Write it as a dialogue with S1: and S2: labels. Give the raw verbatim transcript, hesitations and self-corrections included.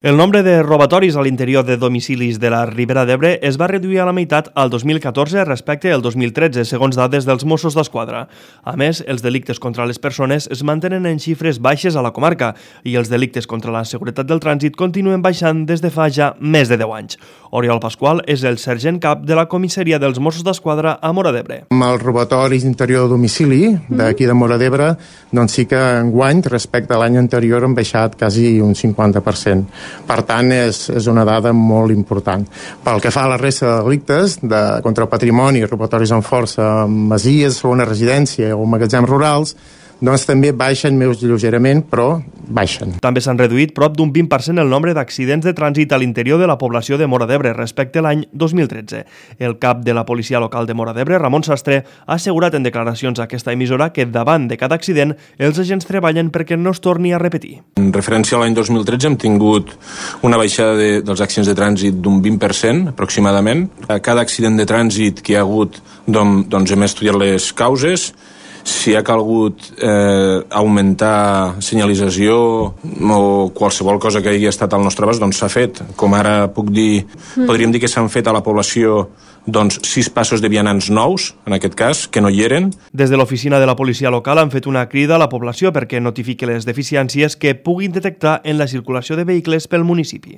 S1: El nombre de robatoris a l'interior de domicilis de la Ribera d'Ebre es va reduir a la meitat al dos mil catorze respecte al dos mil tretze, segons dades dels Mossos d'Esquadra. A més, els delictes contra les persones es mantenen en xifres baixes a la comarca i els delictes contra la seguretat del trànsit continuen baixant des de fa ja més de deu anys. Oriol Pasqual és el sergent cap de la comissaria dels Mossos d'Esquadra a Móra d'Ebre.
S2: Amb els robatoris d'interior de domicili d'aquí de Móra d'Ebre, doncs sí que enguany, respecte a l'any anterior, han baixat quasi un cinquanta per cent. Per tant, és, és una dada molt important. Pel que fa a la resta de delictes de, contra el patrimoni, robatoris amb força, masies, segona residència o magatzems rurals, doncs també baixen més lleugerament, però baixen.
S1: També s'han reduït prop d'un vint per cent el nombre d'accidents de trànsit a l'interior de la població de Móra d'Ebre respecte a l'any dos mil tretze. El cap de la policia local de Móra d'Ebre, Ramon Sastre, ha assegurat en declaracions a aquesta emissora que davant de cada accident els agents treballen perquè no es torni a repetir.
S3: En referència a l'any dos mil tretze hem tingut una baixada de, dels accidents de trànsit d'un vint per cent aproximadament. A cada accident de trànsit que hi ha hagut doncs, doncs hem estudiat les causes. Si ha calgut eh, augmentar senyalització o qualsevol cosa que hagi estat al nostre abast, doncs s'ha fet. Com ara puc dir, mm. podríem dir que s'han fet a la població doncs, sis passos de vianants nous, en aquest cas, que no hi eren.
S1: Des de l'oficina de la policia local han fet una crida a la població perquè notifiqui les deficiències que puguin detectar en la circulació de vehicles pel municipi.